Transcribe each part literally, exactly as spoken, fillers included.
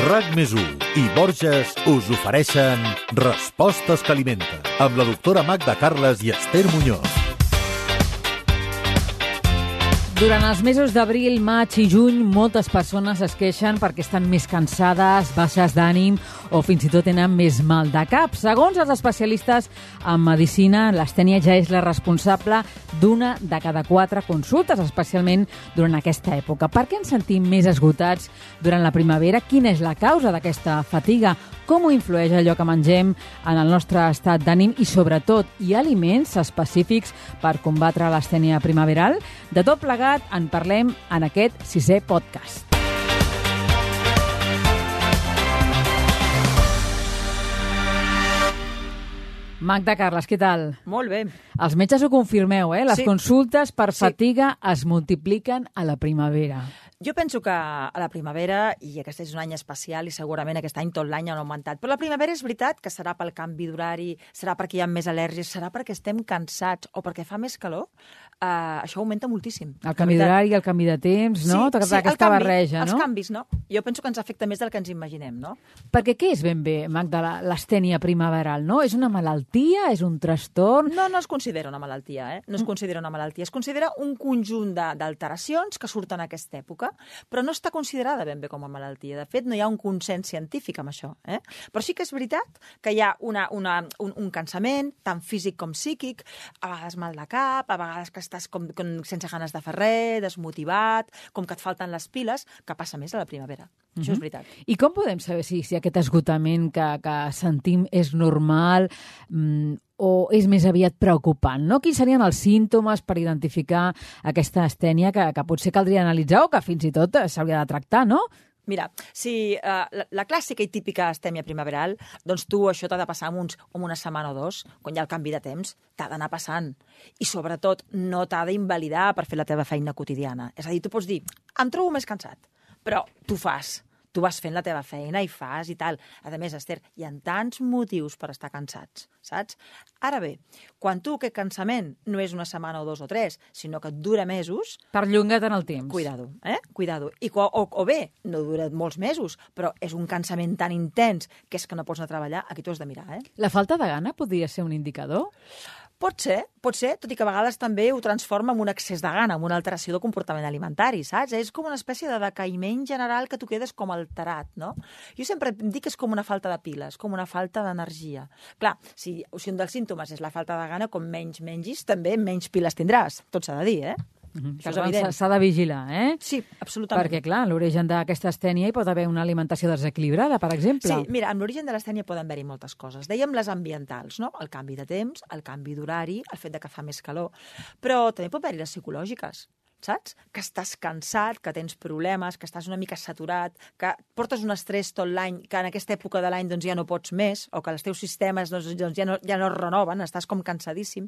RAC més u i Borges us ofereixen Respostes que alimenten, amb la doctora Magda Carles i Esther Muñoz. Durant els mesos d'abril, maig i juny, moltes persones es queixen perquè estan més cansades, baixes d'ànim o fins i tot tenen més mal de cap. Segons els especialistes en medicina, l'astènia ja és la responsable d'una de cada quatre consultes, especialment durant aquesta època. Per què ens sentim més esgotats durant la primavera? Quina és la causa d'aquesta fatiga? Com ho influeix allò que mengem en el nostre estat d'ànim? I, sobretot, hi ha aliments específics per combatre l'astènia primaveral? De tot plegat en parlem en aquest sisè podcast. Magda Carles, què tal? Molt bé. Els metges ho confirmeu, eh? Les Sí. consultes per Sí. fatiga es multipliquen a la primavera. Jo penso que a la primavera, i aquest és un any especial i segurament aquest any tot l'any han augmentat, però la primavera és veritat que serà pel canvi d'horari, serà perquè hi ha més al·lèrgies, serà perquè estem cansats o perquè fa més calor, uh, això augmenta moltíssim. El canvi d'horari, el canvi de temps, no? Sí, sí, Aquesta el canvi, barreja, no? Els canvis, no? Jo penso que ens afecta més del que ens imaginem, no? Perquè què és ben bé, Magda, la- l'astènia primaveral, no? És una malaltia? És un trastorn? No, no es considera una malaltia, eh? No es considera una malaltia. Es considera un conjunt de- d'alteracions que surten en aquesta època, però no està considerada ben bé com a malaltia. De fet, no hi ha un consens científic amb això. Eh? Però sí que és veritat que hi ha una, una, un, un cansament, tant físic com psíquic, a vegades mal de cap, a vegades que estàs com, com sense ganes de fer res, desmotivat, com que et falten les piles, que passa més a la primavera. Mm-hmm. Això és veritat. I com podem saber si, si aquest esgotament que, que sentim és normal mm, o és més aviat preocupant, no? Quins serien els símptomes per identificar aquesta astènia que, que potser caldria analitzar o que fins i tot s'hauria de tractar, no? Mira, si uh, la, la clàssica i típica astèmia primaveral, doncs tu això t'ha de passar en, uns, en una setmana o dos, quan hi ha el canvi de temps, t'ha d'anar passant. I sobretot no t'ha d'invalidar per fer la teva feina quotidiana. És a dir, tu pots dir, em trobo més cansat, però tu fas. Tu vas fent la teva feina i fas i tal. A més, Esther, hi ha tants motius per estar cansats, saps? Ara bé, quan tu aquest cansament no és una setmana o dos o tres, sinó que et dura mesos... Perllonga't en el temps. Cuidado, eh? Cuidado. I, o, o bé, no dura molts mesos, però és un cansament tan intens que és que no pots anar a treballar, aquí t'ho has de mirar, eh? La falta de gana podria ser un indicador? Pot ser, pot ser, tot i que a vegades també ho transforma en un excés de gana, en una alteració de comportament alimentari, saps? És com una espècie de decaïment general que tu quedes com alterat, no? Jo sempre dic que és com una falta de piles, com una falta d'energia. Clar, si, si un dels símptomes és la falta de gana, com menys mengis, també menys piles tindràs, tot s'ha de dir, eh? Mm-hmm. Això és evident. S'ha de vigilar, eh? Sí, absolutament. Perquè, clar, en l'origen d'aquesta astènia hi pot haver una alimentació desequilibrada, per exemple. Sí, mira, amb l'origen de l'astènia poden haver-hi moltes coses. Dèiem les ambientals, no? El canvi de temps, el canvi d'horari, el fet de que fa més calor, però també pot haver-hi les psicològiques, saps? Que estàs cansat, que tens problemes, que estàs una mica saturat, que portes un estrès tot l'any, que en aquesta època de l'any doncs, ja no pots més, o que els teus sistemes doncs, doncs, ja, no, ja no es renoven, estàs com cansadíssim.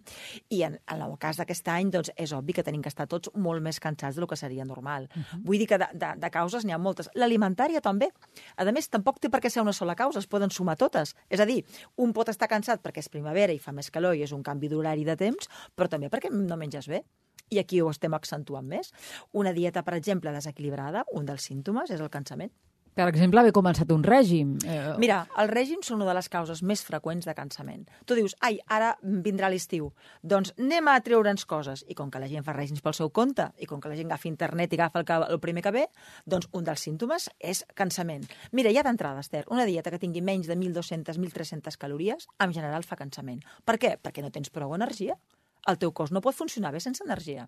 I en, en el cas d'aquest any doncs, és obvi que tenim que estar tots molt més cansats del que seria normal. Uh-huh. Vull dir que de, de, de causes n'hi ha moltes. L'alimentària també. A més, tampoc té per què ser una sola causa, es poden sumar totes. És a dir, un pot estar cansat perquè és primavera i fa més calor i és un canvi d'horari de temps, però també perquè no menges bé. I aquí ho estem accentuant més. Una dieta, per exemple, desequilibrada, un dels símptomes és el cansament. Per exemple, haver començat un règim. Eh... Mira, el règim són una de les causes més freqüents de cansament. Tu dius, ai, ara vindrà l'estiu, doncs anem a treure'ns coses. I com que la gent fa règims pel seu compte, i com que la gent agafa internet i agafa el, que, el primer que ve, doncs un dels símptomes és cansament. Mira, ja d'entrada, Esther, una dieta que tingui menys de mil dos-centes a mil tres-centes calories, en general fa cansament. Per què? Perquè no tens prou energia. El teu cos no pot funcionar bé sense energia.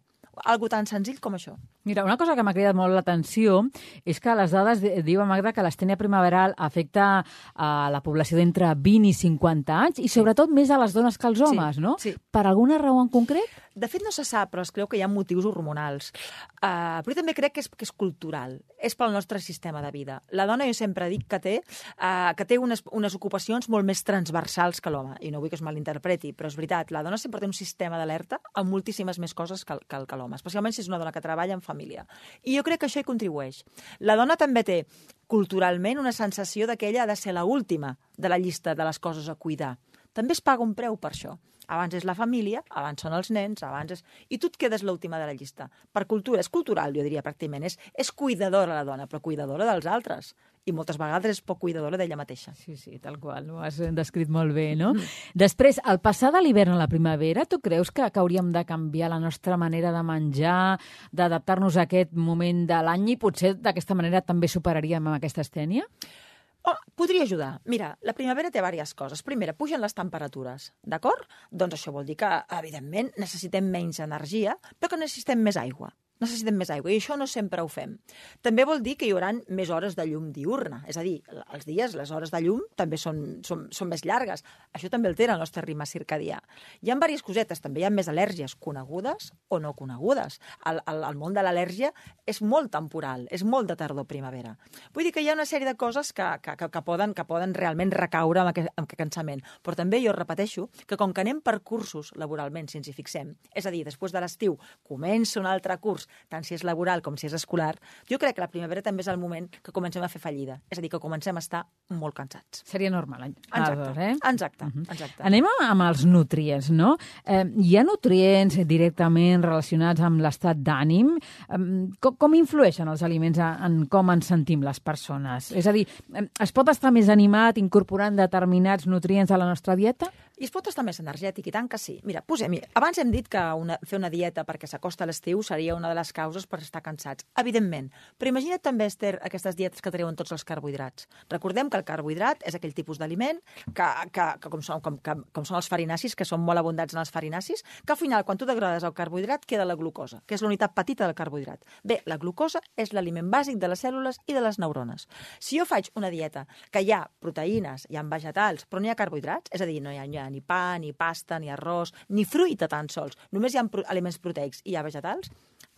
Algo tan senzill com això. Mira, una cosa que m'ha cridat molt l'atenció és que les dades diuen, Magda, que l'astènia primaveral afecta a la població d'entre vint i cinquanta anys i sobretot més a les dones que als homes, sí, no? Sí. Per alguna raó en concret? De fet, no se sap, però es creu que hi ha motius hormonals. Uh, però també crec que és, que és cultural. És pel nostre sistema de vida. La dona, jo sempre dic que té, uh, que té unes, unes ocupacions molt més transversals que l'home. I no vull que es malinterpreti, però és veritat. La dona sempre té un sistema d'alerta amb moltíssimes més coses que, que, que l'home, especialment si és una dona que treballa en família. I jo crec que això hi contribueix. La dona també té culturalment una sensació de que ella ha de ser l'última de la llista de les coses a cuidar. També es paga un preu per això. Abans és la família, abans són els nens, abans és... I tu et quedes l'última de la llista. Per cultura, és cultural, jo diria, pràcticament. És, és cuidadora la dona, però cuidadora dels altres. I moltes vegades és poc cuidadora d'ella mateixa. Sí, sí, tal qual, ho has descrit molt bé, no? Mm. Després, al passar de l'hivern a la primavera, tu creus que, que hauríem de canviar la nostra manera de menjar, d'adaptar-nos a aquest moment de l'any i potser d'aquesta manera també superaríem amb aquesta estènia? Oh, podria ajudar. Mira, la primavera té diverses coses. Primera, pugen les temperatures, d'acord? Doncs això vol dir que, evidentment, necessitem menys energia, però que necessitem més aigua. Necessitem més aigua, i això no sempre ho fem. També vol dir que hi haurà més hores de llum diurna, és a dir, els dies, les hores de llum també són, són, són més llargues. Això també altera el nostre ritme circadià. Hi ha diverses cosetes, també hi ha més al·lèrgies conegudes o no conegudes. El, el, el món de l'al·lèrgia és molt temporal, és molt de tardor-primavera. Vull dir que hi ha una sèrie de coses que, que, que, que, poden, que poden realment recaure amb aquest, amb aquest cansament. Però també jo repeteixo que com que anem per cursos laboralment, si ens hi fixem, és a dir, després de l'estiu comença un altre curs, tant si és laboral com si és escolar, jo crec que la primavera també és el moment que comencem a fer fallida. És a dir, que comencem a estar molt cansats. Seria normal. Exacte, eh? exacte, uh-huh. exacte. Anem amb els nutrients, no? Eh, hi ha nutrients directament relacionats amb l'estat d'ànim? Eh, com, com influeixen els aliments en com ens sentim les persones? És a dir, es pot estar més animat incorporant determinats nutrients a la nostra dieta? I es pot estar més energètic, i tant que sí. Mira, posem, abans hem dit que una, fer una dieta perquè s'acosta a l'estiu seria una de les causes per estar cansats. Evidentment. Però imagina't també, Esther, aquestes dietes que treuen tots els carbohidrats. Recordem que el carbohidrat és aquell tipus d'aliment que, que, que, com són, com, que, com són els farinacis, que són molt abundants en els farinacis, que al final, quan tu degrades el carbohidrat, queda la glucosa, que és la unitat petita del carbohidrat. Bé, la glucosa és l'aliment bàsic de les cèl·lules i de les neurones. Si jo faig una dieta que hi ha proteïnes, hi ha vegetals, però no hi ha carbohidrats, és a dir, no hi ha, no hi ha ni pa, ni pasta, ni arròs, ni fruita tan sols, només hi ha pro- aliments proteics i hi ha vegetals,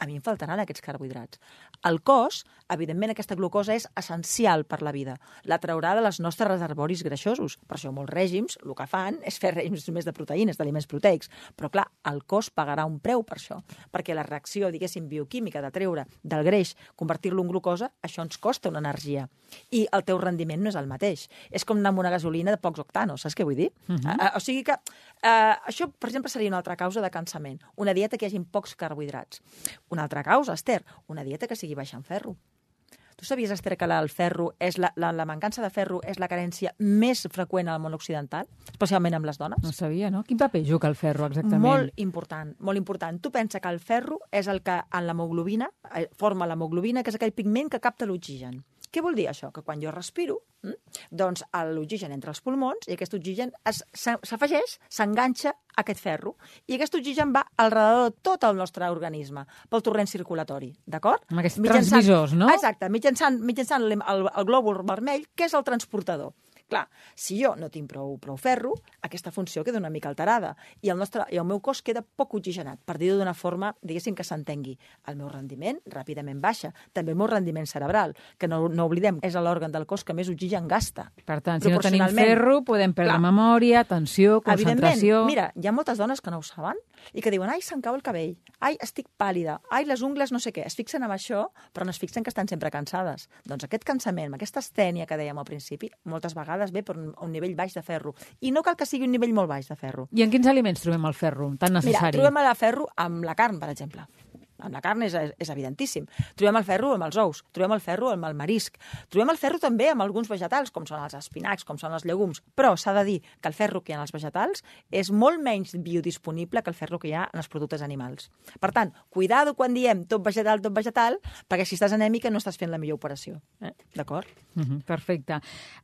a mi em faltaran aquests carbohidrats. El cos, evidentment, aquesta glucosa és essencial per la vida. La traurà de les nostres reservoris greixosos. Per això molts règims el que fan és fer règims només de proteïnes, d'aliments proteics. Però, clar, el cos pagarà un preu per això, perquè la reacció, diguéssim, bioquímica de treure del greix, convertir-lo en glucosa, això ens costa una energia. I el teu rendiment no és el mateix. És com anar amb una gasolina de pocs octanos, saps què vull dir? Uh -huh. uh, o sigui que uh, això, per exemple, seria una altra causa de cansament. Una dieta que hi hagi pocs carbohidrats. Una altra causa, Esther, una dieta que sigui baixa en ferro. Tu sabies, Esther, que la, el ferro és la, la, la mancança de ferro és la carència més freqüent al món occidental, especialment amb les dones? No sabia, no? Quin paper juga el ferro, exactament? Molt important, molt important. Tu pensa que el ferro és el que en l'hemoglobina, forma l'hemoglobina, que és aquell pigment que capta l'oxigen. Què vol dir això? Que quan jo respiro, hm, doncs l'oxigen entra als pulmons i aquest oxigen es- se- s'afegeix, s'enganxa a aquest ferro. I aquest oxigen va alrededor de tot el nostre organisme, pel torrent circulatori, d'acord? Amb aquests transmissors, no? Exacte, mitjançant, mitjançant el, el, el glòbul vermell, que és el transportador. Clar, si jo no tinc prou, prou ferro, aquesta funció queda una mica alterada i el, nostre, i el meu cos queda poc oxigenat, per dir-ho d'una forma, diguéssim, que s'entengui. El meu rendiment ràpidament baixa, també el meu rendiment cerebral, que no, no oblidem, és l'òrgan del cos que més oxigen gasta. Per tant, si no tenim ferro, podem perdre Clar. memòria, atenció, concentració... Evidentment, mira, hi ha moltes dones que no ho saben i que diuen, ai, se'm cau el cabell, ai, estic pàl·lida, ai, les ungles no sé què. Es fixen en això, però no es fixen que estan sempre cansades. Doncs aquest cansament, aquesta astènia que dèiem al principi, moltes vegades ve per un, un nivell baix de ferro. I no cal que sigui un nivell molt baix de ferro. I en quins aliments trobem el ferro tan necessari? Mira, trobem el ferro amb la carn, per exemple. Amb la carn és, és evidentíssim. Trobem el ferro amb els ous, trobem el ferro amb el marisc, trobem el ferro també amb alguns vegetals, com són els espinacs, com són els llegums, però s'ha de dir que el ferro que hi ha en els vegetals és molt menys biodisponible que el ferro que hi ha en els productes animals. Per tant, cuidado quan diem tot vegetal, tot vegetal, perquè si estàs anèmica no estàs fent la millor operació. Eh? D'acord? Uh-huh, perfecte.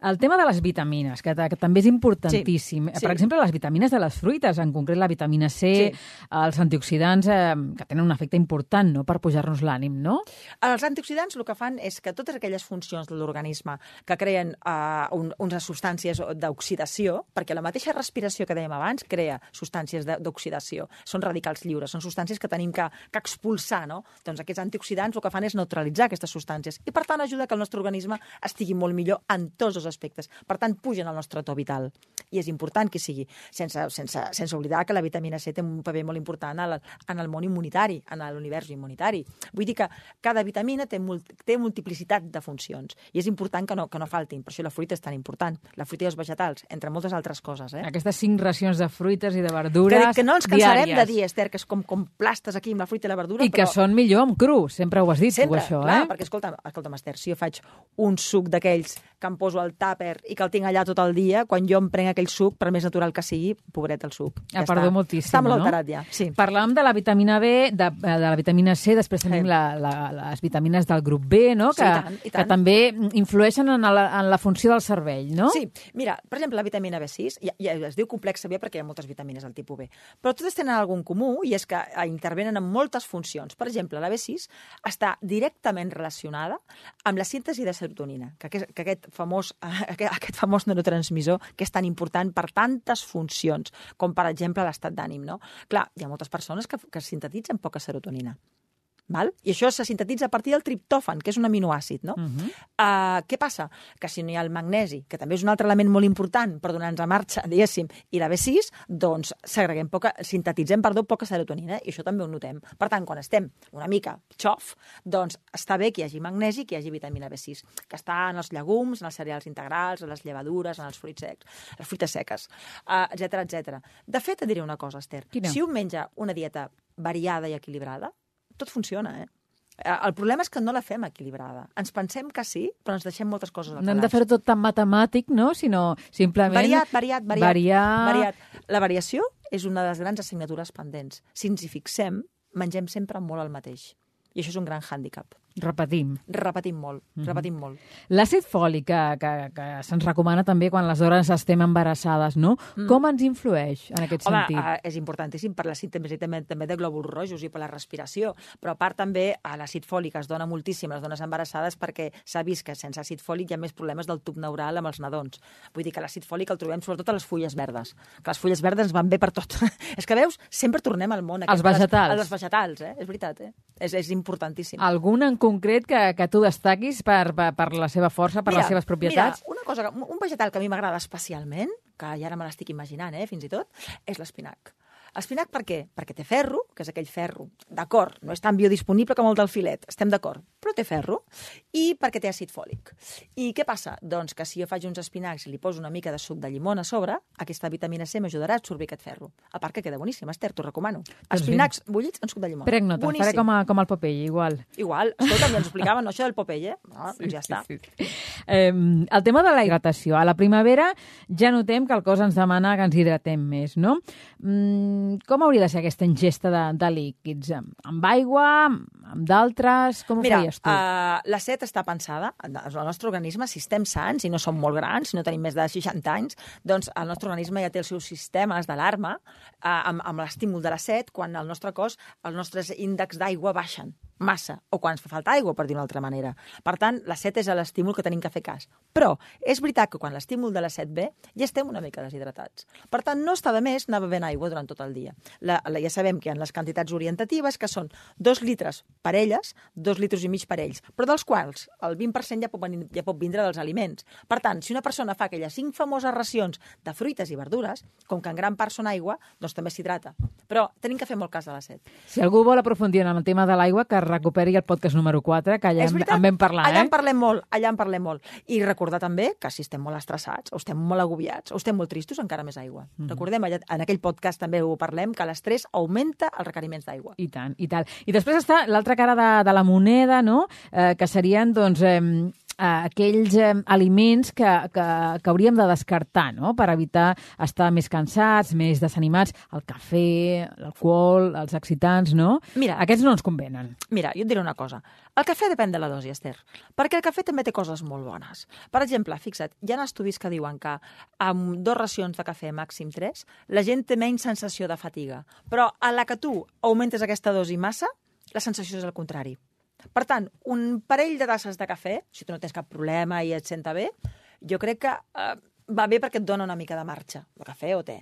El tema de les vitamines, que, que també és importantíssim. Sí, sí. Per exemple, les vitamines de les fruites, en concret la vitamina C, Sí. els antioxidants, eh, que tenen un efecte important, no?, per pujar-nos l'ànim, no? Els antioxidants el que fan és que totes aquelles funcions de l'organisme que creen uh, un, unes substàncies d'oxidació, perquè la mateixa respiració que dèiem abans crea substàncies de- d'oxidació, són radicals lliures, són substàncies que tenim que, que expulsar, no? Doncs aquests antioxidants el que fan és neutralitzar aquestes substàncies i, per tant, ajuda que el nostre organisme estigui molt millor en tots els aspectes. Per tant, pugen el nostre to vital. I és important que sigui, sense, sense, sense oblidar que la vitamina C té un paper molt important en el, en el món immunitari, en l'univers l'univers immunitari. Vull dir que cada vitamina té, multi, té multiplicitat de funcions i és important que no, que no faltin. Per això la fruita és tan important. La fruita i els vegetals, entre moltes altres coses. Eh? Aquestes cinc racions de fruites i de verdures que, que no ens cansarem diàries. de dir, Esther, que és com, com plastes aquí amb la fruita i la verdura. I però... que són millor amb cru, sempre ho has dit, sempre, tu, això, clar, eh? perquè, escolta'm, escolta'm, Esther, si jo faig un suc d'aquells que em poso al tàper i que el tinc allà tot el dia, quan jo em prenc aquell suc, per més natural que sigui, pobret el suc. Ha Ja perdut està. moltíssim, Està molt no? alterat ja, sí. Parlàvem de la vitamina B, de, de la vitamina C, després tenim Sí. la, la, les vitamines del grup B, no? Sí, que, i tant, i tant. que també influeixen en la, en la funció del cervell, no? Sí, mira, per exemple, la vitamina B sis, ja, ja es diu complexa B perquè hi ha moltes vitamines del tipus B, però totes tenen algun comú i és que intervenen en moltes funcions. Per exemple, la B sis està directament relacionada amb la síntesi de serotonina, que aquest, que aquest, famós, aquest, aquest famós neurotransmissor que és tan important per tantes funcions, com per exemple l'estat d'ànim, no? Clar, hi ha moltes persones que, que sintetitzen poca serotonina. Val? I això se sintetitza a partir del triptòfan, que és un aminoàcid, no? Uh-huh. uh, què passa? Que si no hi ha el magnesi, que també és un altre element molt important per donar-nos a marxa, diguéssim, i la B sis, doncs segreguem poca, sintetitzem, perdó, poca serotonina, i això també ho notem. Per tant, quan estem una mica xof, doncs està bé que hi hagi magnesi, que hi hagi vitamina B sis, que està en els llegums, en els cereals integrals, en les llevadures, en els fruits secs, les fruites seques, uh, etcètera, etcètera. De fet, et diré una cosa, Esther. Quina? Si un menja una dieta variada i equilibrada, tot funciona, eh? El problema és que no la fem equilibrada. Ens pensem que sí, però ens deixem moltes coses al No hem de calaix. fer-ho tot tan matemàtic, no? Sinó simplement... Variat, variat, variat. Variar... variat. La variació és una de les grans assignatures pendents. Si ens hi fixem, mengem sempre molt el mateix. I això és un gran hàndicap. Repetim. Repetim molt, Mhm. repetim molt. L'àcid fòlic, que, que, que se'ns recomana també quan les dones estem embarassades, no? Mm. Com ens influeix en aquest Home, sentit? eh, és importantíssim per la síntesi també, també de glòbuls rojos i per la respiració, però a part també a l'àcid fòlic es dona moltíssim a les dones embarassades perquè s'ha vist que sense àcid fòlic hi ha més problemes del tub neural amb els nadons. Vull dir que l'àcid fòlic el trobem sobretot a les fulles verdes, que les fulles verdes ens van bé per tot. És que veus, sempre tornem al món. Els aquest de les- vegetals. Els vegetals, eh? És veritat, eh? És, és importantíssim. Algun en concret que, que tu destaquis per, per, per la seva força, per Mira, les seves propietats? Mira, una cosa, que- un vegetal que a mi m'agrada especialment, que ja ara me l'estic imaginant, eh, fins i tot, és l'espinac. Espinac per què? Perquè té ferro, que és aquell ferro, d'acord, no és tan biodisponible com el del filet, estem d'acord, però té ferro, i perquè té àcid fòlic. I què passa? Doncs que si jo faig uns espinacs i li poso una mica de suc de llimona a sobre, aquesta vitamina C m'ajudarà a absorbir aquest ferro. A part que queda boníssim, Esther, t'ho recomano. Espinacs bullits en suc de llimona. Prenc nota, faré Boníssim. com, a, com el Popeye, igual. Igual, escolta, ja ens explicaven no, això del Popeye, no? Doncs ja està. Sí, sí. Eh, el tema de la hidratació. A la primavera ja notem que el cos ens demana que ens hidratem més, no? Mm, com hauria de ser aquesta ingesta de, de líquids? Amb, amb aigua, amb d'altres? Com ho Mira, feies tu? uh, la set està pensada, el nostre organisme, si estem sants i no som molt grans, si no tenim més de seixanta anys, doncs el nostre organisme ja té els seus sistemes d'alarma uh, amb, amb l'estímul de la set quan el nostre cos, els nostres índexs d'aigua baixen massa, o quan ens fa falta aigua, per dir d'una altra manera. Per tant, la set és l'estímul que tenim que fer cas. Però és veritat que quan l'estímul de la set ve, ja estem una mica deshidratats. Per tant, no està de més anar bevent aigua durant tot el dia. La, la, ja sabem que hi ha les quantitats orientatives, que són dos litres per elles, dos litres i mig per ells, però dels quals el vint per cent ja pot, venir, ja pot vindre dels aliments. Per tant, si una persona fa aquelles cinc famoses racions de fruites i verdures, com que en gran part són aigua, doncs també s'hidrata. Però tenim que fer molt cas de la set. Si algú vol aprofundir en el tema de l'aigua, que recuperi el podcast número quatre, que allà en, en vam parlar. Allà eh? en parlem molt, allà en parlem molt. I recordar també que si estem molt estressats, o estem molt agobiats, o estem molt tristos, encara més aigua. Mm. Recordem, allà, en aquell podcast també ho parlem, que l'estrès augmenta els requeriments d'aigua. I tant, i tal. I després està l'altra cara de, de la moneda, no? Eh, que serien, doncs, eh, aquells eh, aliments que, que, que hauríem de descartar, no? Per evitar estar més cansats, més desanimats. El cafè, l'alcohol, els excitants, no? Mira, Aquests no ens convenen. Mira, jo et diré una cosa. El cafè depèn de la dosi, Esther, perquè el cafè també té coses molt bones. Per exemple, fixa't, hi ha estudis que diuen que amb dues racions de cafè, màxim tres, la gent té menys sensació de fatiga. Però a la que tu augmentes aquesta dosi massa, la sensació és el contrari. Per tant, un parell de tasses de cafè, si tu no tens cap problema i et senta bé, jo crec que eh, va bé perquè et dona una mica de marxa, el cafè o té.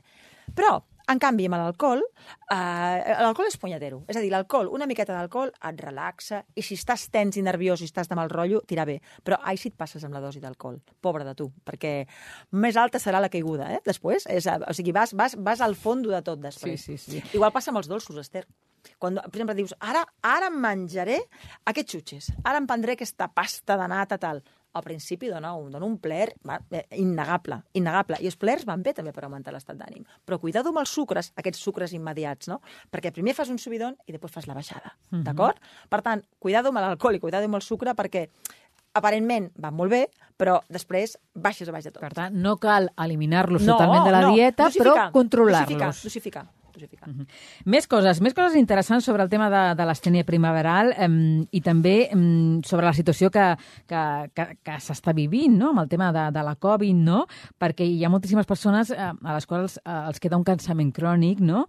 Però, en canvi, amb l'alcohol, eh, l'alcohol és punyetero. És a dir, l'alcohol, una miqueta d'alcohol et relaxa, i si estàs tens i nerviós i estàs de mal rotllo, tira bé. Però ai, si et passes amb la dosi d'alcohol. Pobre de tu, perquè més alta serà la caiguda, eh? Després, és, o sigui, vas, vas, vas al fondo de tot després. Sí, sí, sí. Igual passa amb els dolços, Esther. Quan, per exemple, dius, ara, ara em menjaré aquests xutxes, ara em prendré aquesta pasta de nata, tal. Al principi dona un, dona un plaer va, eh, innegable, innegable. I els plaers van bé també per augmentar l'estat d'ànim. Però cuidado amb els sucres, aquests sucres immediats, no? Perquè primer fas un subidon i després fas la baixada, mm-hmm. d'acord? Per tant, cuidado amb l'alcohol i cuidado amb el sucre perquè aparentment van molt bé, però després baixes a baix de tot. Per tant, no cal eliminar-los no, totalment de la no, dieta, dosificar, però controlar-los. Dosificar, dosificar. Uh -huh. Més coses, més coses interessants sobre el tema de, de l'astènia primaveral eh, i també eh, sobre la situació que, que, que, que s'està vivint, no?, amb el tema de, de la Covid, no?, perquè hi ha moltíssimes persones eh, a les quals eh, els queda un cansament crònic, no?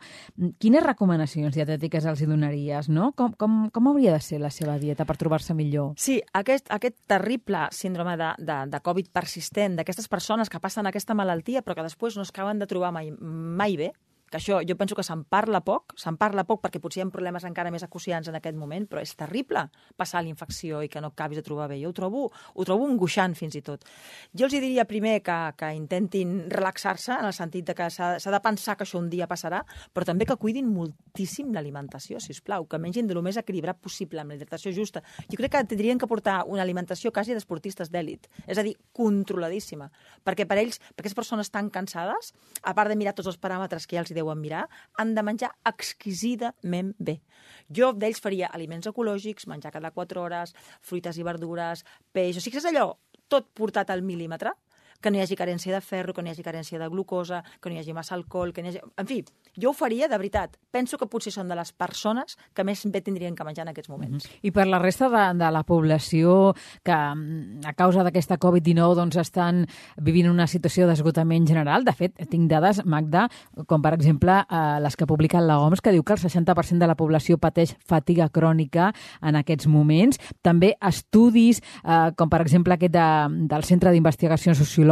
Quines recomanacions dietètiques els hi donaries, no? Com, com, com hauria de ser la seva dieta per trobar-se millor? Sí, aquest, aquest terrible síndrome de, de, de Covid persistent, d'aquestes persones que passen aquesta malaltia però que després no es acaben de trobar mai, mai bé, que això jo penso que se'n parla poc, se'n parla poc perquè potser hi ha problemes encara més acuciants en aquest moment, però és terrible passar l'infecció i que no acabis de trobar bé. Jo ho trobo, ho trobo angoixant fins i tot. Jo els diria primer que, que intentin relaxar-se en el sentit de que s'ha de pensar que això un dia passarà, però també que cuidin moltíssim l'alimentació, sisplau, que mengin del més equilibrat possible, amb la hidratació justa. Jo crec que tindrien que portar una alimentació quasi d'esportistes d'èlit, és a dir, controladíssima, perquè per ells, per aquestes persones tan cansades, a part de mirar tots els paràmetres que ja els deuen mirar, han de menjar exquisidament bé. Jo d'ells faria aliments ecològics, menjar cada quatre hores, fruites i verdures, peix, o sigui que és allò, tot portat al mil·límetre, que no hi hagi carència de ferro, que no hi hagi carència de glucosa, que no hi hagi massa alcohol, que no hi hagi... En fi, jo ho faria, de veritat. Penso que potser són de les persones que més bé tindrien que menjar en aquests moments. Mm-hmm. I per la resta de, de la població que a causa d'aquesta Covid dinou doncs, estan vivint una situació d'esgotament general, de fet, tinc dades, Magda, com per exemple eh, les que ha publicat la O M S, que diu que el seixanta per cent de la població pateix fatiga crònica en aquests moments. També estudis, eh, com per exemple aquest de, del Centre d'Investigacions Sociològiques,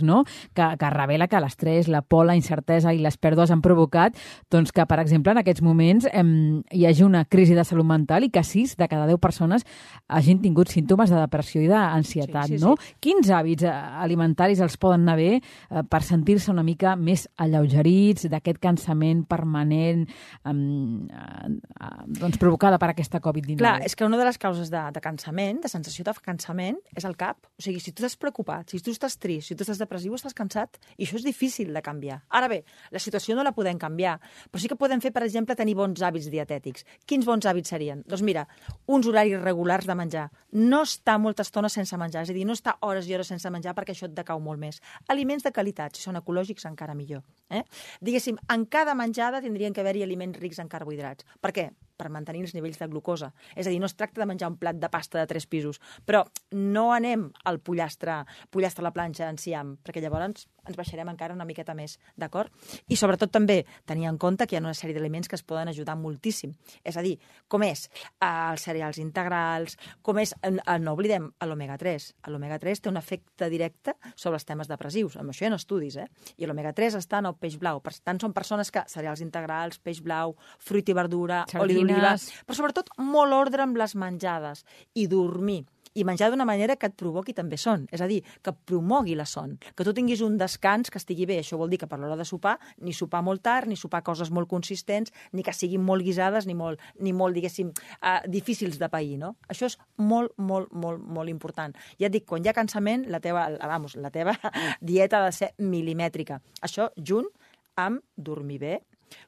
no? que, que revela que l'estrès, la por, la incertesa i les pèrdues han provocat doncs, que, per exemple, en aquests moments eh, hi hagi una crisi de salut mental i que sis de cada deu persones hagin tingut símptomes de depressió i d'ansietat. Sí, sí, no? sí. Quins hàbits alimentaris els poden anar bé eh, per sentir-se una mica més alleugerits d'aquest cansament permanent eh, eh, doncs, provocada per aquesta Covid dinou? Clar, és que una de les causes de, de cansament, de sensació de cansament, és el cap. O sigui, si tu estàs preocupat, si tu estàs trist, si tu estàs depressiu, estàs cansat, i això és difícil de canviar. Ara bé, la situació no la podem canviar, però sí que podem fer, per exemple, tenir bons hàbits dietètics. Quins bons hàbits serien? Doncs mira, uns horaris regulars de menjar. No estar molta estona sense menjar, és a dir, no estar hores i hores sense menjar perquè això et decau molt més. Aliments de qualitat, si són ecològics, encara millor. Eh? Diguéssim, en cada menjada tindrien que haver-hi aliments rics en carbohidrats. Per què? Per mantenir els nivells de glucosa. És a dir, no es tracta de menjar un plat de pasta de tres pisos, però no anem al pollastre, pollastre a la planxa enciam, perquè llavors ens baixarem encara una miqueta més, d'acord? I sobretot també tenir en compte que hi ha una sèrie d'aliments que es poden ajudar moltíssim. És a dir, com és els cereals integrals, com és, no oblidem, l'omega tres. L'omega tres té un efecte directe sobre els temes depressius. Amb això hi ha estudis, eh? I l'omega tres està en el peix blau. Per tant, són persones que cereals integrals, peix blau, fruit i verdura, oli d'oliva, però sobretot molt ordre amb les menjades i dormir. I menjar d'una manera que et provoqui també son, és a dir, que promogui la son, que tu tinguis un descans que estigui bé. Això vol dir que per l'hora de sopar, ni sopar molt tard, ni sopar coses molt consistents, ni que siguin molt guisades, ni molt, ni molt diguéssim, uh, difícils de pair, no? Això és molt, molt, molt, molt important. Ja et dic, quan hi ha cansament, la teva, vamos, la teva dieta ha de ser milimètrica. Això junt amb dormir bé,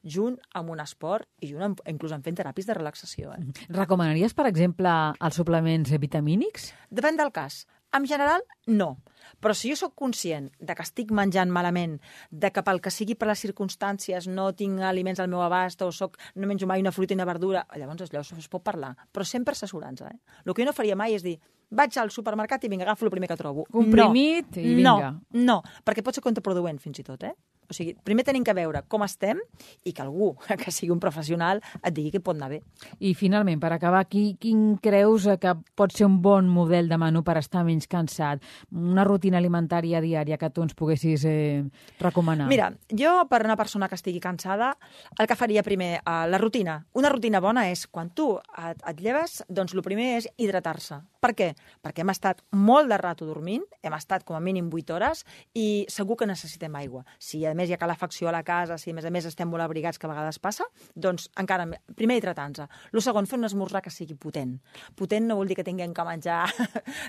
junt amb un esport i junt amb, inclús amb fent teràpies de relaxació. Eh? Recomanaries, per exemple, els suplements vitamínics? Depèn del cas. En general, no. Però si jo sóc conscient de que estic menjant malament, de que pel que sigui per les circumstàncies no tinc aliments al meu abast o soc, no menjo mai una fruita i una verdura, llavors llavors es pot parlar. Però sempre assessorant-se. Eh? El que jo no faria mai és dir vaig al supermercat i vinga, agafo el primer que trobo. Comprimit no, i vinga. No, no, perquè pot ser contraproduent fins i tot, eh? O sigui, primer tenim que veure com estem i que algú, que sigui un professional, et digui que pot anar bé. I finalment, per acabar, qui, quin creus que pot ser un bon model de menú per estar menys cansat? Una rutina alimentària diària que tu ens poguessis eh, recomanar? Mira, jo per una persona que estigui cansada, el que faria primer, eh, la rutina. Una rutina bona és, quan tu et, et lleves, doncs el primer és hidratar-se. Per què? Perquè hem estat molt de rato dormint, hem estat com a mínim vuit hores i segur que necessitem aigua. Si a més més hi ha calefacció a la casa, si a més a més estem molt abrigats, que a vegades passa, doncs encara, primer hidratar-nos. El segon, fer un esmorzar que sigui potent. Potent no vol dir que tinguem que menjar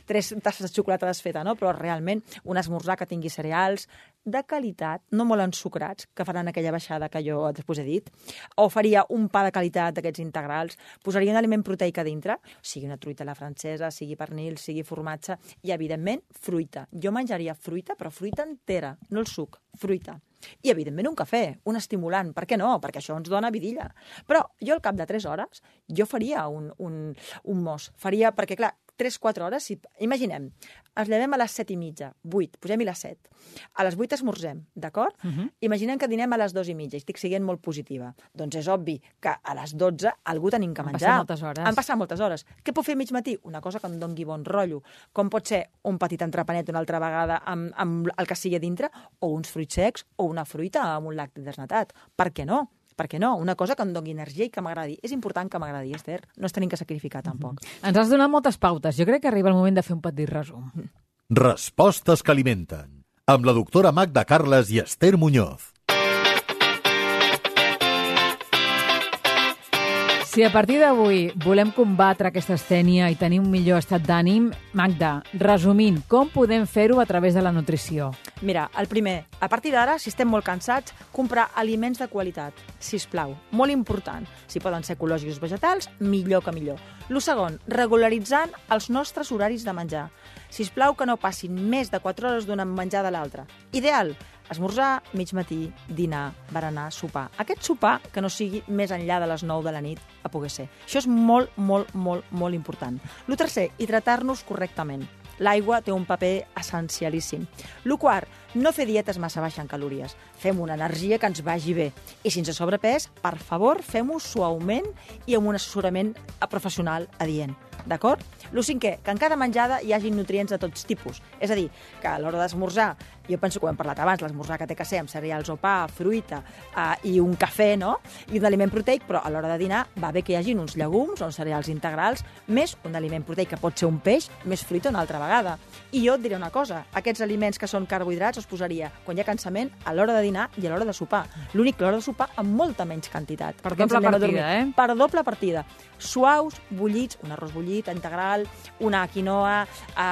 tres tasses de xocolata desfeta, no? Però realment un esmorzar que tingui cereals de qualitat, no molt ensucrats, que faran aquella baixada que jo després he dit, o faria un pa de qualitat d'aquests integrals, posaria un aliment proteic a dintre, sigui una truita a la francesa, sigui pernil, sigui formatge, i evidentment fruita. Jo menjaria fruita, però fruita entera, no el suc, fruita. I, evidentment, un cafè, un estimulant. Per què no? Perquè això ens dona vidilla. Però jo, al cap de tres hores, jo faria un, un, un mos. Faria, perquè, clar, tres quatre hores, si, imaginem, ens llevem a les set i mitja, vuit, posem-hi les set. A les vuit esmorzem, d'acord? Uh -huh. Imaginem que dinem a les dos i mitja, i estic sent molt positiva. Doncs és obvi que a les dotze algú tenim que menjar. Han passat moltes hores. Han passat moltes hores. Què puc fer a mig matí? Una cosa que em doni bon rotllo. Com pot ser un petit entrepanet una altra vegada amb, amb el que sigui a dintre, o uns fruits secs, o una fruita amb un lacti desnatat. Per què no? Per què no? Una cosa que em doni energia i que m'agradi. És important que m'agradi, Esther. No es tenim que sacrificar, tampoc. Mm-hmm. Ens has donat moltes pautes. Jo crec que arriba el moment de fer un petit resum. Respostes que alimenten. Amb la doctora Magda Carles i Esther Muñoz. Si a partir d'avui volem combatre aquesta astènia i tenir un millor estat d'ànim, Magda, resumint, com podem fer-ho a través de la nutrició? Mira, el primer, a partir d'ara, si estem molt cansats, comprar aliments de qualitat, sisplau, molt important. Si poden ser ecològics o vegetals, millor que millor. El segon, regularitzant els nostres horaris de menjar. Sisplau que no passin més de quatre hores d'un menjar de l'altre. Ideal, esmorzar, mig matí, dinar, berenar, sopar. Aquest sopar que no sigui més enllà de les nou de la nit a poder ser. Això és molt, molt, molt, molt important. El tercer, hidratar-nos correctament. L'aigua té un paper essencialíssim. El quart, no fer dietes massa baixes en calories. Fem una energia que ens vagi bé. I sense sobrepès, per favor, fem-ho suaument i amb un assessorament professional adient. D'acord? El cinquè, que en cada menjada hi hagi nutrients de tots tipus. És a dir, que a l'hora d'esmorzar, jo penso que ho hem parlat abans, l'esmorzar que té que ser amb cereals o pa, fruita eh, i un cafè, no? I un aliment proteic, però a l'hora de dinar va bé que hi hagin uns llegums o uns cereals integrals, més un aliment proteic que pot ser un peix, més fruita una altra vegada. I jo et diré una cosa, aquests aliments que són carbohidrats els posaria quan hi ha cansament a l'hora de dinar i a l'hora de sopar. L'únic que a l'hora de sopar amb molta menys quantitat. Per doble partida, eh? Per doble partida. Suaus, bullits, un arròs bullit, integral, una quinoa,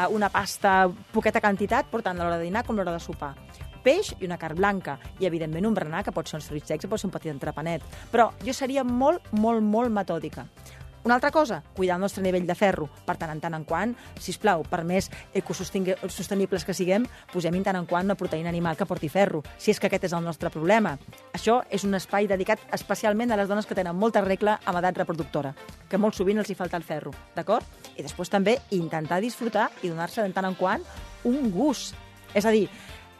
una pasta, poqueta quantitat, però tant a l'hora de dinar com a l'hora de sopar. Peix i una carn blanca. I, evidentment, un berenar, que pot ser uns fruits secs, pot ser un petit entrepanet. Però jo seria molt, molt, molt metòdica. Una altra cosa, cuidar el nostre nivell de ferro. Per tant, en tant en quant, sisplau, per més ecosostenibles que siguem, posem en tant en quant una proteïna animal que porti ferro, si és que aquest és el nostre problema. Això és un espai dedicat especialment a les dones que tenen molta regla amb edat reproductora, que molt sovint els hi falta el ferro, d'acord? I després també intentar disfrutar i donar-se de tant en quant un gust. És a dir,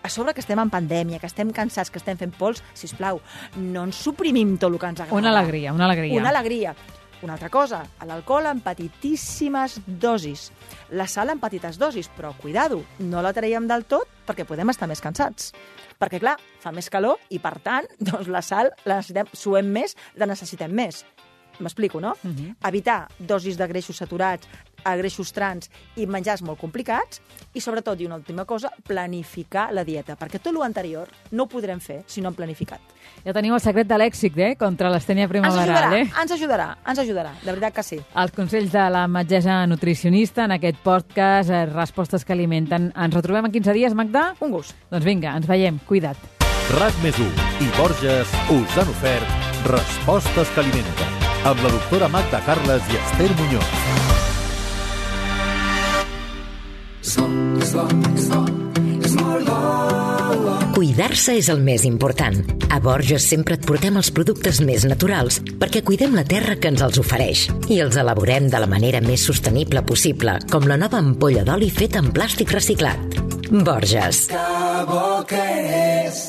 a sobre que estem en pandèmia, que estem cansats, que estem fent pols, sisplau, no ens suprimim tot el que ens agrada. Una alegria, una alegria. Una alegria. Una altra cosa, l'alcohol en petitíssimes dosis. La sal en petites dosis, però cuidado, no la traiem del tot perquè podem estar més cansats. Perquè, clar, fa més calor i, per tant, doncs la sal la necessitem, suem més, la necessitem més. M'explico, no? Uh-huh. Evitar dosis de greixos saturats, a greixos trans i menjars molt complicats i, sobretot, i una última cosa, planificar la dieta, perquè tot l'anterior no ho podrem fer si no hem planificat. Ja teniu el secret de l'èxit, eh?, contra l'astènia primaveral, eh? Ens ajudarà, ens ajudarà, de veritat que sí. Els consells de la metgessa nutricionista en aquest podcast, eh, Respostes que alimenten. Ens retrobem en quinze dies, Magda? Un gust. Doncs vinga, ens veiem. Cuida't. RAC més u i Borges us han ofert Respostes que alimenten amb la doctora Magda Carles i Esther Muñoz. Cuidar-se és el més important. A Borges sempre et portem els productes més naturals perquè cuidem la terra que ens els ofereix i els elaborem de la manera més sostenible possible, com la nova ampolla d'oli feta en plàstic reciclat. Borges. Que bo que és!